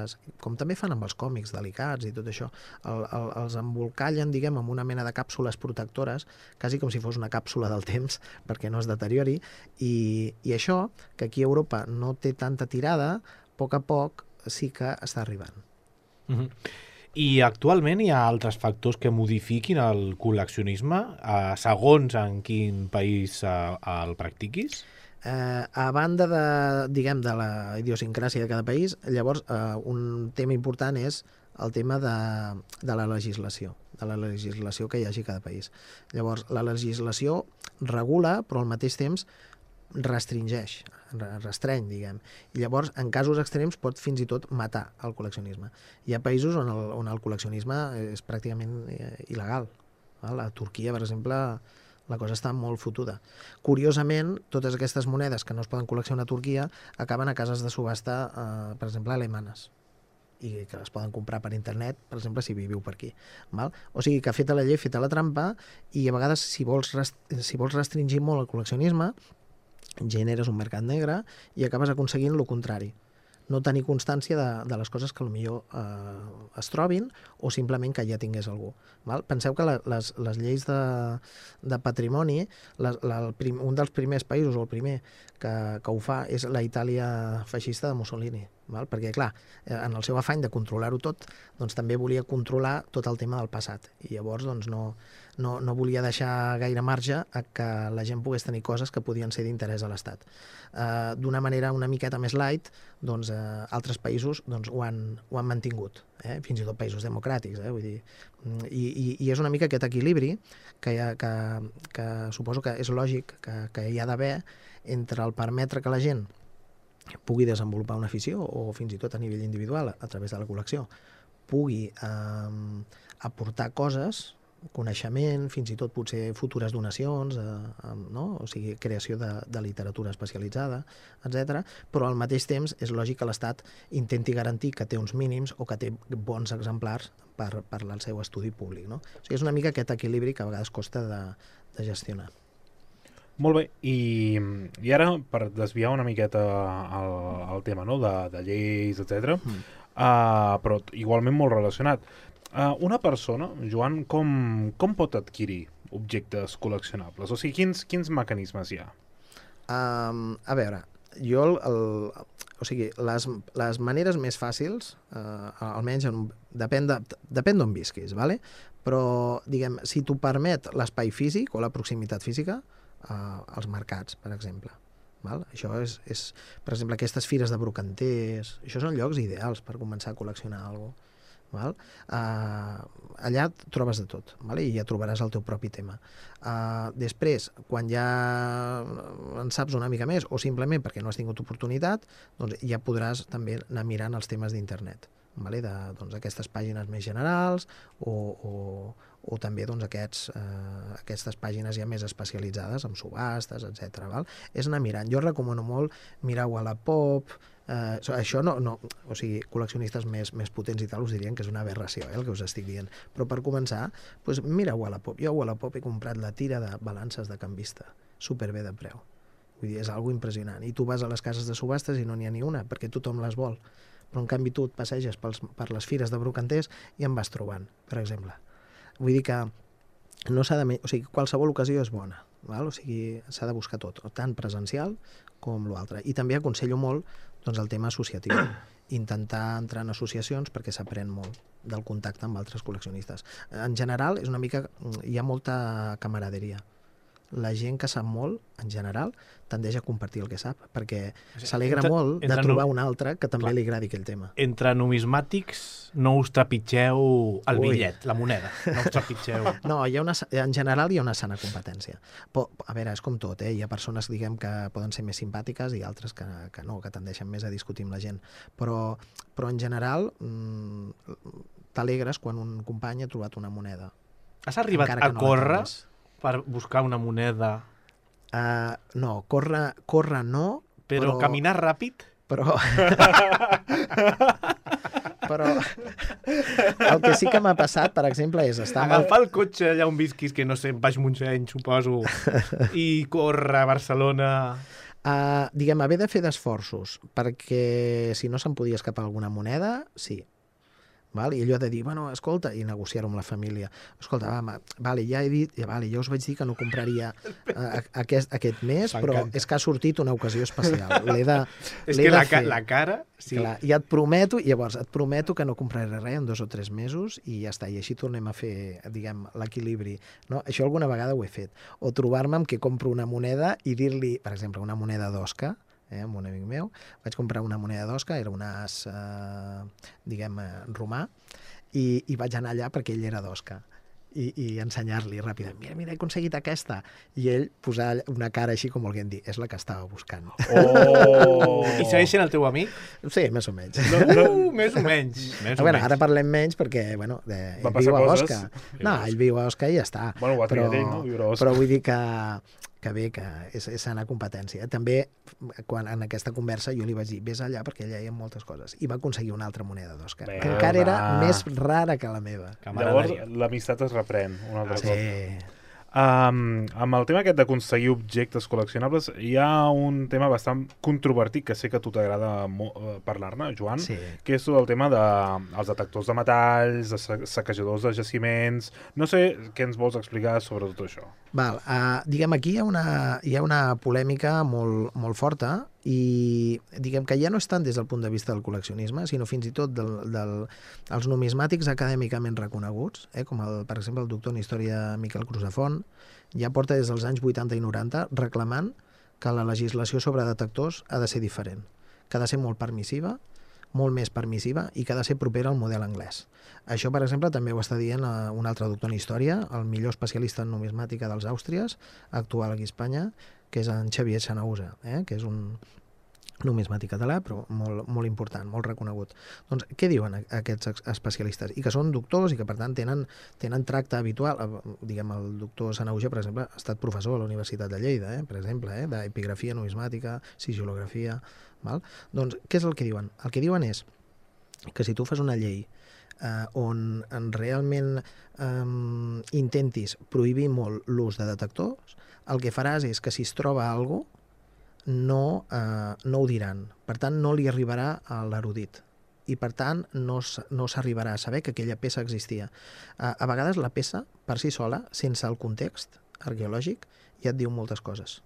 com també fan amb els còmics delicats i tot això, els embolcallen, diguem, amb una mena de càpsules protectores, quasi com si fos una càpsula del temps, perquè no es deteriori, i això, que aquí a Europa no té tanta tirada, a poc sí que està arribant. I actualment hi ha altres factors que modifiquin el col·leccionisme, segons en quin país el practiquis? A banda de la idiosincràsia de cada país, llavors un tema important és el tema de la legislació que hi hagi a cada país. Llavors, la legislació regula, però al mateix temps restreny, diguem. I llavors, en casos extrems, pot fins i tot matar el col·leccionisme. Hi ha països on el col·leccionisme és pràcticament il·legal. A Turquia, per exemple, la cosa està molt fotuda. Curiosament, totes aquestes monedes que no es poden col·leccionar a Turquia acaben a cases de subhasta, per exemple, alemanes, i que les poden comprar per internet, per exemple, si viviu per aquí. Val? O sigui que feta la llei, feta la trampa, i a vegades, si vols restringir molt el col·leccionisme, generes un mercat negre i acabes aconseguint el contrari. No tenir constància de les coses que potser es trobin o simplement que ja tingués algú. Val? Penseu que les lleis de patrimoni, un dels primers països, o el primer que ho fa, és la Itàlia feixista de Mussolini. Val? Perquè, clar, en el seu afany de controlar-ho tot, doncs també volia controlar tot el tema del passat. I llavors doncs, no volia deixar gaire marge a que la gent pogués tenir coses que podien ser d'interès a l'Estat. D'una manera una miqueta més light, doncs, altres països doncs, ho han mantingut, fins i tot països democràtics. Vull dir. I és una mica aquest equilibri que suposo que és lògic que hi ha d'haver entre el permetre que la gent pugui desenvolupar una afició o fins i tot a nivell individual a través de la col·lecció pugui aportar coses, coneixement, fins i tot potser futures donacions, no? O sigui, creació de literatura especialitzada, etc. Però al mateix temps és lògic que l'Estat intenti garantir que té uns mínims o que té bons exemplars per al seu estudi públic. No? O sigui, és una mica aquest equilibri que a vegades costa de gestionar. Molt bé, i ara, per desviar una miqueta el tema, no? de lleis, etc. Però igualment molt relacionat. Una persona, Joan, com pot adquirir objectes col·leccionables? O sigui, quins mecanismes hi ha? A veure, jo o sigui, les maneres més fàcils, almenys depèn d'on visquis, ¿vale? Però, diguem, si t'ho permet l'espai físic o la proximitat física, als mercats, per exemple. Val? Això és, per exemple, aquestes fires de brocanters, això són llocs ideals per començar a col·leccionar alguna cosa. Val? Allà trobes de tot, val? I ja trobaràs el teu propi tema. Després, quan ja en saps una mica més, o simplement perquè no has tingut oportunitat, doncs ja podràs també anar mirant els temes d'internet, vale? Doncs, aquestes pàgines més generals o també doncs, aquestes pàgines ja més especialitzades amb subhastes, etc. Val? És anar mirant. Jo recomano molt mirar Wallapop, Això no, o sigui, col·leccionistes més potents i tal us dirien que és una aberració, el que us estic dient. Però per començar, doncs mira Wallapop. Jo a Wallapop he comprat la tira de balances de canvista, superbé de preu. Vull dir, és algo impressionant. I tu vas a les cases de subhastes i no n'hi ha ni una, perquè tothom les vol. Però en canvi tu et passeges per les fires de brocanters i en vas trobant, per exemple. Vull dir que no s'ha de... O sigui, qualsevol ocasió és bona. Val? O sigui, s'ha de buscar tot, tant presencial com l'altre. I també aconsello molt doncs, el tema associatiu. Intentar entrar en associacions perquè s'aprèn molt del contacte amb altres col·leccionistes. En general, és una mica... hi ha molta camaraderia. La gent que sap molt, en general, tendeix a compartir el que sap, perquè s'alegra molt de trobar un altre que també li agradi aquell tema. Entre numismàtics no us trepitgeu el bitllet, la moneda. No us trepitgeu. No, en general hi ha una sana competència. Però, a veure, és com tot, hi ha persones, diguem, que poden ser més simpàtiques i altres que no, que tendeixen més a discutir amb la gent. Però en general, t'alegres quan un company ha trobat una moneda. Has arribat a córrer per buscar una moneda? No, córrer no. Però caminar ràpid? Però el que sí que m'ha passat, per exemple, és estar... Agafar el cotxe allà on visquis, que no sé, Baix Montseny, suposo, i córrer a Barcelona... Diguem, haver de fer d'esforços, perquè si no se'n podia escapar alguna moneda, sí. Val? I allò de dir, bueno, escolta, i negociar-ho amb la família. Escolta, ja he dit, ja us vaig dir que no compraria aquest mes, però és que ha sortit una ocasió especial. És que la cara... Sí. Clar, i et prometo que no compraré res en 2 o 3 mesos i ja està, i així tornem a fer, diguem, l'equilibri. No? Això alguna vegada ho he fet. O trobar-me amb que compro una moneda i dir-li, per exemple, una moneda d'Osca, amb un amic meu, vaig comprar una moneda d'Osca, era un as, diguem, romà, i vaig anar allà perquè ell era d'Osca. I ensenyar-li ràpidament, mira, he aconseguit aquesta. I ell posar una cara així com volguent dir, és la que estava buscant. I segueix sent el teu amic? Sí, més o menys. Més o menys. Ara parlem menys perquè, bueno, ell viu a Osca. No, ell viu a Osca i ja està. Bueno, ho ha triat ell, no? Viure a Osca. Però vull dir que bé, que és sana competència. També, quan en aquesta conversa jo li vaig dir, vés allà perquè allà hi ha moltes coses. I va aconseguir una altra moneda d'Oscar, que encara era més rara que la meva. Llavors, l'amistat es reprèn un altre cop. Amb el tema aquest d'aconseguir objectes col·leccionables hi ha un tema bastant controvertit que sé que a tu t'agrada parlar-ne, Joan, que és tot el tema dels detectors de metalls, de saquejadors de jaciments... No sé què ens vols explicar sobre tot això. Diguem, aquí hi ha una polèmica molt forta i diguem que ja no és tant des del punt de vista del col·leccionisme, sinó fins i tot dels numismàtics acadèmicament reconeguts, com per exemple el doctor en història Miquel Crusafont, ja porta des dels anys 80 i 90 reclamant que la legislació sobre detectors ha de ser diferent, que ha de ser molt permissiva, molt més permissiva i que ha de ser propera al model anglès. Això, per exemple, també ho està dient un altre doctor en història, el millor especialista en numismàtica dels Àustries, actual aquí a Espanya, que és en Xavier Xanausa, que és un numismàtic català, però molt important, molt reconegut. Doncs què diuen aquests especialistes? I que són doctors i que, per tant, tenen tracte habitual. Diguem, el doctor Xanausa, per exemple, ha estat professor a la Universitat de Lleida, per exemple, d'epigrafia numismàtica, sigilografia... Doncs, què és el que diuen? El que diuen és que si tu fas una llei on realment intentis prohibir molt l'ús de detectors, el que faràs és que si es troba alguna cosa no ho diran. Per tant, no li arribarà a l'erudit. I, per tant, no s'arribarà a saber que aquella peça existia. A vegades la peça, per si sola, sense el context arqueològic, ja et diu moltes coses.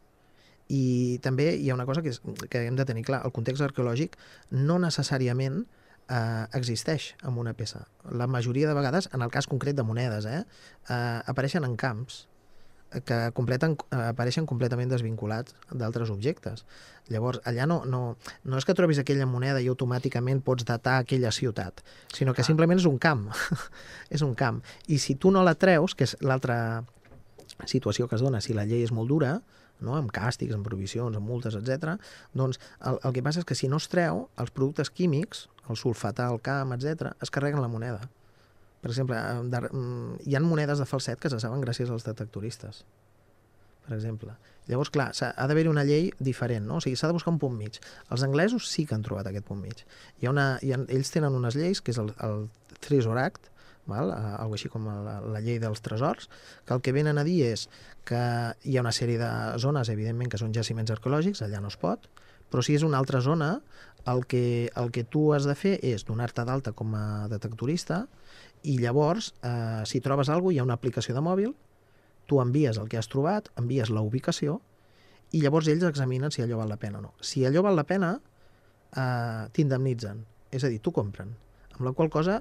I també hi ha una cosa que hem de tenir clar. El context arqueològic no necessàriament existeix en una peça. La majoria de vegades, en el cas concret de monedes, apareixen en camps que apareixen completament desvinculats d'altres objectes. Llavors, allà no és que trobis aquella moneda i automàticament pots datar aquella ciutat, sinó que simplement és un camp. És un camp. I si tu no la treus, que és l'altra situació que es dona si la llei és molt dura, no? Amb càstigs, amb prohibicions, amb multes, etc. Doncs el que passa és que si no es treu, els productes químics, el sulfatar, el camp, etc., es carreguen la moneda. Per exemple, hi ha monedes de falset que se saben gràcies als detectoristes. Per per exemple. Llavors, clar, ha d'haver-hi una llei diferent, no? O sigui, s'ha de buscar un punt mig. Els anglesos sí que han trobat aquest punt mig. Ells tenen unes lleis, que és el Treasure Act, val? Algo així com la llei dels tresors, que el que venen a dir és que hi ha una sèrie de zones, evidentment, que són jaciments arqueològics, allà no es pot, però si és una altra zona, el que tu has de fer és donar-te d'alta com a detectorista i llavors, si trobes alguna cosa, hi ha una aplicació de mòbil, tu envies el que has trobat, envies la ubicació i llavors ells examinen si allò val la pena o no. Si allò val la pena, t'indemnitzen, és a dir, t'ho compren, amb la qual cosa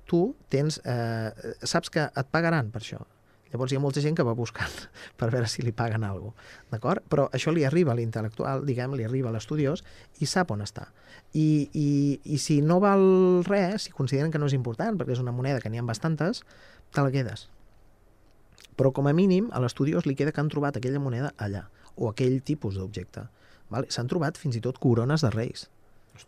tu saps que et pagaran per això. Llavors hi ha molta gent que va buscant per veure si li paguen alguna cosa, d'acord? Però això li arriba a l'intel·lectual, diguem, li arriba a l'estudiós i sap on està. I si no val res, si consideren que no és important, perquè és una moneda que n'hi ha bastantes, te la quedes. Però com a mínim a l'estudiós li queda que han trobat aquella moneda allà, o aquell tipus d'objecte. S'han trobat fins i tot corones de reis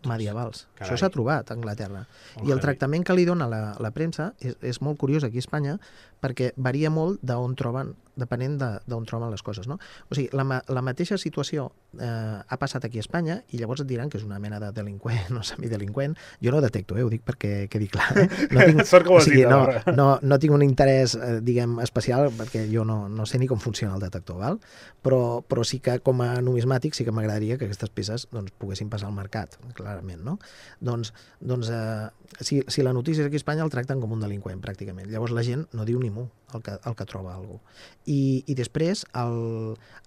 medievals. Carai. Això s'ha trobat a Anglaterra. I el tractament que li dona la premsa és molt curiós aquí a Espanya perquè varia molt d'on troben, depenent d'on troben les coses. No? O sigui, la mateixa situació ha passat aquí a Espanya i llavors et diran que és una mena de delinqüent o semidelinqüent. Jo no ho detecto, ho dic perquè quedi clar. No tinc, Sort que ho has dit, no tinc un interès, diguem, especial perquè jo no sé ni com funciona el detector, val? Però sí que com a numismàtic sí que m'agradaria que aquestes peces poguessin passar al mercat, clarament, no? Doncs si la notícia és aquí a Espanya el tracten com un delinqüent, pràcticament. Llavors la gent no diu ni mu el que troba alguna cosa. I després,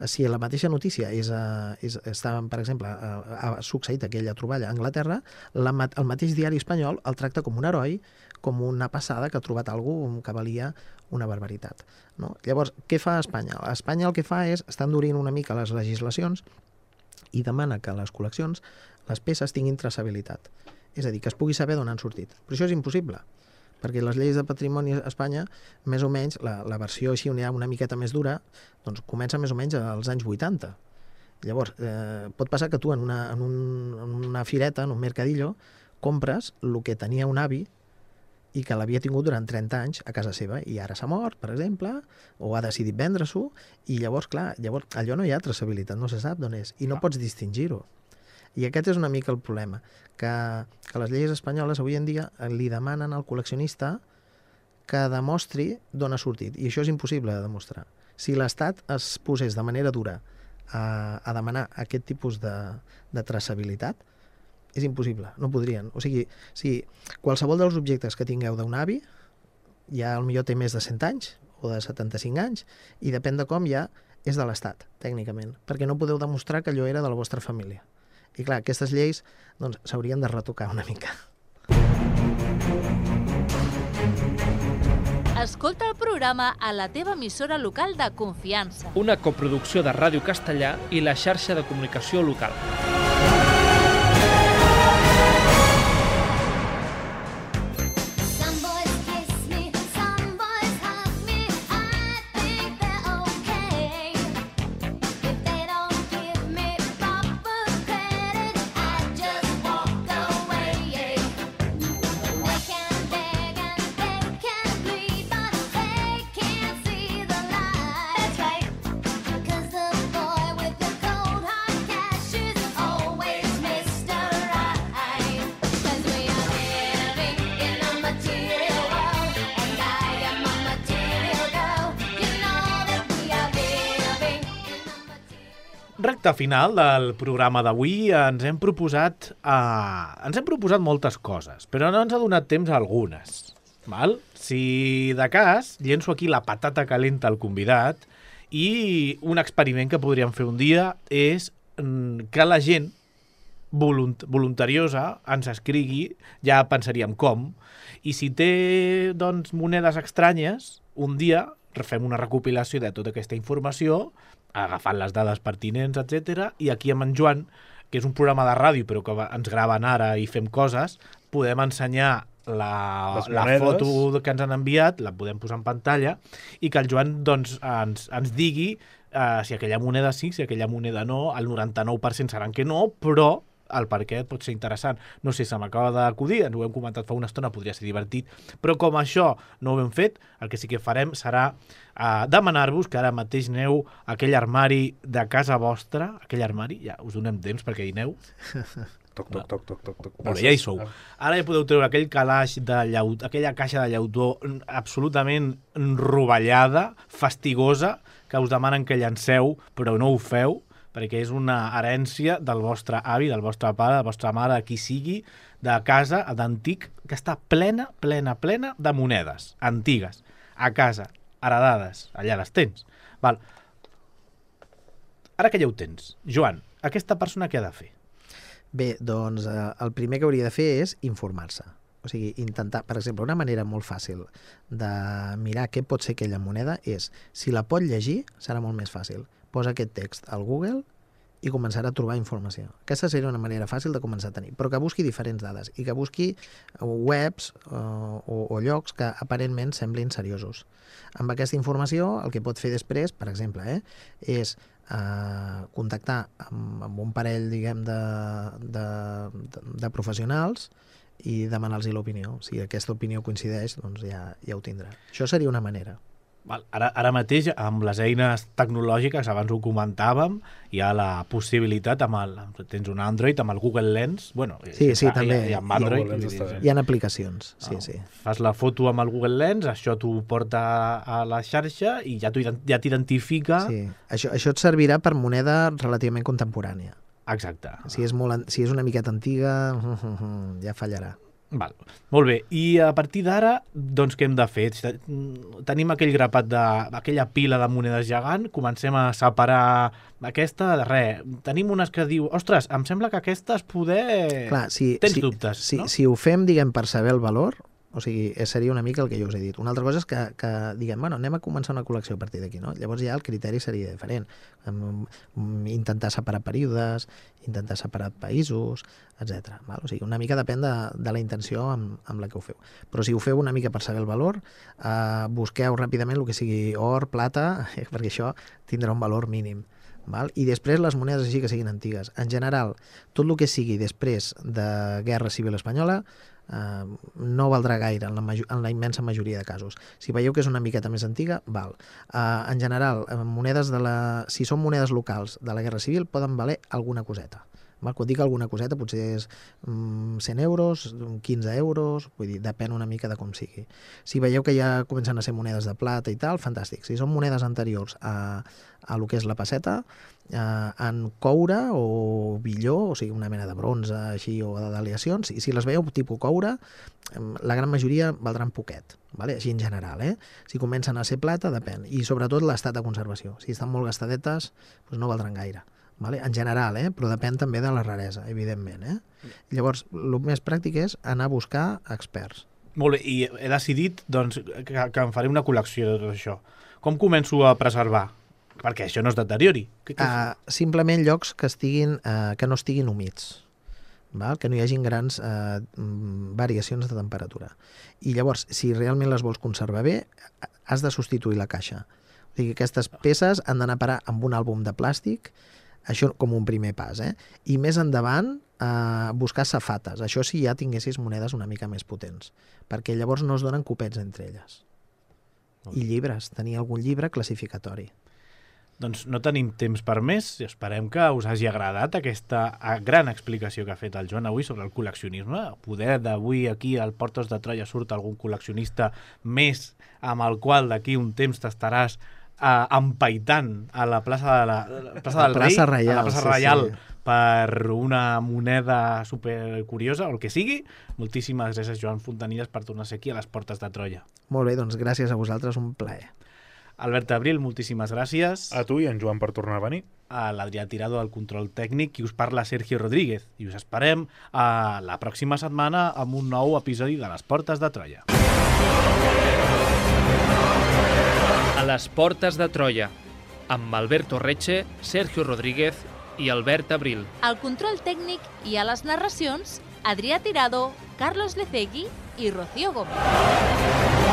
si la mateixa notícia per exemple, ha succeït aquella troballa a Anglaterra, el mateix diari espanyol el tracta com un heroi, com una passada que ha trobat alguna cosa que valia una barbaritat. No? Llavors, què fa Espanya? Espanya el que fa és estar endurint una mica les legislacions i demana que les col·leccions, les peces, tinguin traçabilitat. És a dir, que es pugui saber d'on han sortit. Però això és impossible, perquè les lleis de patrimoni a Espanya, més o menys, la versió així on hi ha una miqueta més dura, doncs comença més o menys als anys 80. Llavors, pot passar que tu en una fireta, en un mercadillo, compres el que tenia un avi i que l'havia tingut durant 30 anys a casa seva i ara s'ha mort, per exemple, o ha decidit vendre-s'ho, i llavors, clar, allò no hi ha traçabilitat, no se sap d'on és, i no pots distingir-ho. I aquest és una mica el problema, que les lleis espanyoles avui en dia li demanen al col·leccionista que demostri d'on ha sortit, i això és impossible de demostrar. Si l'Estat es posés de manera dura a demanar aquest tipus de traçabilitat, és impossible, no podrien. O sigui, si qualsevol dels objectes que tingueu d'un avi, ja potser té més de 100 anys, o de 75 anys, i depèn de com ja és de l'Estat, tècnicament, perquè no podeu demostrar que allò era de la vostra família. I clar, aquestes lleis s'haurien de retocar una mica. Escolta el programa a la teva emissora local de confiança. Una coproducció de Ràdio Castellà i la xarxa de comunicació local. Recte final del programa d'avui ens hem proposat moltes coses, però no ens ha donat temps a algunes. Val? Si de cas, llenço aquí la patata calenta al convidat i un experiment que podríem fer un dia és que la gent voluntariosa ens escrigui, ja pensaríem com, i si té doncs, monedes estranyes, un dia fem una recopilació de tota aquesta informació, agafant les dades pertinents, etc. I aquí amb en Joan, que és un programa de ràdio però que ens graven ara i fem coses, podem ensenyar la foto que ens han enviat, la podem posar en pantalla i que el Joan doncs, ens digui si aquella moneda sí, si aquella moneda no, el 99% seran que no, però el per què pot ser interessant. No sé, se m'acaba d'acudir, ens ho hem comentat fa una estona, podria ser divertit, però com això no ho hem fet, el que sí que farem serà demanar-vos que ara mateix aneu a aquell armari de casa vostra, aquell armari, ja us donem temps perquè hi aneu. Toc, toc, toc, toc, toc, toc. Molt bé, ja hi sou. Ara ja podeu treure aquell calaix de llautó, aquella caixa de llautó absolutament rovellada, fastigosa, que us demanen que llanceu, però no ho feu, perquè és una herència del vostre avi, del vostre pare, de la vostra mare, de qui sigui, de casa, d'antic, que està plena de monedes antigues, a casa, heredades, allà les tens. Val. Ara que ja ho tens, Joan, aquesta persona què ha de fer? Bé, doncs el primer que hauria de fer és informar-se. O sigui, intentar, per exemple, una manera molt fàcil de mirar què pot ser aquella moneda és, si la pot llegir, serà molt més fàcil. Posa aquest text al Google i començarà a trobar informació. Aquesta seria una manera fàcil de començar a tenir, però que busqui diferents dades i que busqui webs o llocs que aparentment semblin seriosos. Amb aquesta informació, el que pot fer després, per exemple, és contactar amb un parell, diguem, de professionals i demanar-los l'opinió. Si aquesta opinió coincideix, doncs ja ho tindrà. Això seria una manera. Val. Ara mateix, amb les eines tecnològiques, abans ho comentàvem, hi ha la possibilitat, tens un Android, amb el Google Lens, sí, també. Hi ha Android, hi ha aplicacions, sí. Fas la foto amb el Google Lens, això t'ho porta a la xarxa i ja t'identifica. Sí, això et servirà per moneda relativament contemporània. Exacte. Si és una miqueta antiga, ja fallarà. Val. Molt bé, i a partir d'ara, doncs què hem de fer? Tenim aquell grapat aquella pila de monedes gegant, comencem a separar aquesta de res. Tenim unes que diu, ostres, em sembla que aquestes tens dubtes, no? Si ho fem, diguem, per saber el valor, o sigui, seria una mica el que jo us he dit. Una altra cosa és que diguem, anem a començar una col·lecció a partir d'aquí, no? Llavors ja el criteri seria diferent. Intentar separar períodes, intentar separar països, etc. O sigui, una mica depèn de la intenció amb la que ho feu. Però si ho feu una mica per saber el valor, busqueu ràpidament el que sigui or, plata, perquè això tindrà un valor mínim. I després les monedes així que siguin antigues. En general, tot el que sigui després de Guerra Civil Espanyola no valdrà gaire en la immensa majoria de casos. Si veieu que és una miqueta més antiga, val. En general, si són monedes locals de la Guerra Civil, poden valer alguna coseta. Quan dic alguna coseta, potser és 100 euros, 15 euros, vull dir, depèn una mica de com sigui. Si veieu que ja comencen a ser monedes de plata i tal, fantàstic. Si són monedes anteriors a lo que és la pesseta, en coure o billó, o sigui, una mena de bronze així o d'aleacions, i si les veieu tipus coure, la gran majoria valdran poquet, així en general. Si comencen a ser plata, depèn. I sobretot l'estat de conservació. Si estan molt gastadetes, doncs no valdran gaire. En general, però depèn també de la raresa, evidentment. Llavors, el més pràctic és anar a buscar experts. Molt bé, i he decidit doncs, que em faré una col·lecció de tot això. Com començo a preservar? Perquè això no es deteriori. Simplement llocs que no estiguin humits, que no hi hagin grans variacions de temperatura. I llavors, si realment les vols conservar bé, has de substituir la caixa. O sigui, aquestes peces han d'anar a parar amb un àlbum de plàstic, això com un primer pas. I més endavant, buscar safates. Això si ja tinguessis monedes una mica més potents, perquè llavors no es donen copets entre elles. I llibres, tenir algun llibre classificatori. Doncs no tenim temps per més i esperem que us hagi agradat aquesta gran explicació que ha fet el Joan avui sobre el col·leccionisme. Poder d'avui aquí al Portes de Troia surt algun col·leccionista més amb el qual d'aquí un temps t'estaràs empaitant a la plaça del Rei, Reial, a la plaça Reial, per una moneda supercuriosa, o el que sigui. Moltíssimes gràcies, Joan Fontanilles, per tornar a ser aquí a les Portes de Troia. Molt bé, doncs gràcies a vosaltres, un plaer. Albert Abril, moltíssimes gràcies. A tu i en Joan per tornar a venir. A l'Adrià Tirado, al control tècnic, i us parla Sergio Rodríguez. I us esperem a la pròxima setmana amb un nou episodi de les Portes de Troia. A les Portes de Troia, amb Alberto Reche, Sergio Rodríguez i Albert Abril. Al control tècnic i a les narracions, Adrià Tirado, Carlos Lecegui i Rocío Gómez.